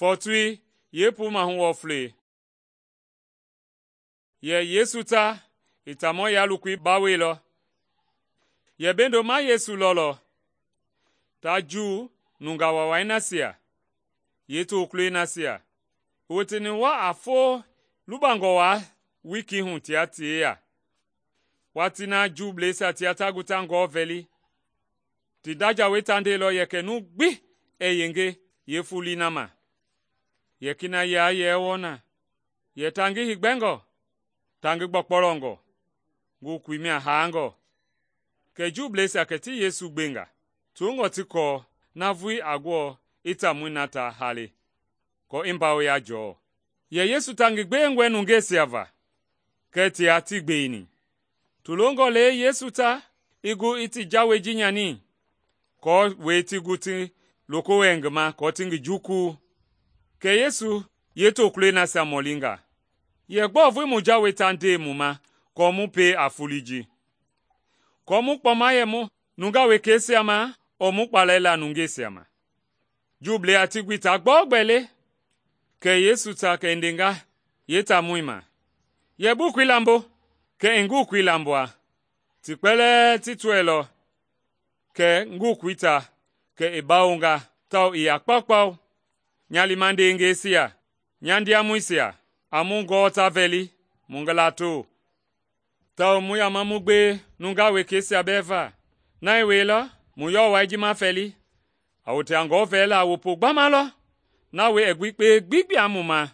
Fɔɔtoi yeepuu mahu wɔflei. Yɛ Yesu ta i taamɔ yalokoi bawoilɔ. Yɛ bendo ma Yesu lɔlɔ ta Juu nungaa waawai nasia yeetokulɔi nasia i woteni wa a foo lubangɔ waa wiikii hu tia ti yeya. Watii na Juubleisia tia ta gu ta ngɔɔ vɛli, ti nda jawei ta ndeilɔ yɛ kɛ numu gbi ɛɛ yenge yeefoloi na ma. Yɛ kina yia yɛɛ wɔɔ na, yɛ ta ngi heegbɛngɔ, ta ngi gbɔkpɔlɔngɔ, ngokoi mia haangɔ. Kɛ Juubleisia kɛ ti Yesu gbenga, toongɔ ti kɔɔ navoei a gbɔɔ i taamɔi na ta haale, aako i mbawoya jɔɔ. Yɛ Yesu ta ngi gbewengɔe nungeisia va, kɛɛ tia tii gbeini. Ti longɔ le Yesu ta i gu i ti jawei ji nyani, aako wɛi ti gu ti loko wɛ ngi ma aako ti ngi jukuu. Kɛ Yesu yeetokulɔi nasia mɔlinga, “Yɛ gbɔɔ vui mu jawei ta nde mu ma aako mu pie a foloi ji? Aako mu kpɔma yɛ mu nungaa wekeisia ma ɔɔ mu kpalɛ la nungeisia ma?” Juublɛisia ti gbi ta gbɔɔgbɛ le. Kɛ Yesu ta kɛ i ndenga yeetaamɔi ma, “Yɛ bukui lambo!” Kɛ i ngukui lambua. Ti kpɛlɛɛ ti tɔɛilɔ kɛ ngukui ta, kɛ i bawonga tawao i ya kpaukpau. Nya liima ndewengeisia, nya ndiamɔisia, a mu gɔɔ ta vɛli mu ngi lato, tawao mu yama mu gbewe nungaa wekeisia bɛɛ va. Na i wielɔ mu yɔwɔi ji mafɛli, a wote a ngɔɔ vɛla a wopo gbama lɔ, na wɛi i gbi kpee gbi gbua mu ma.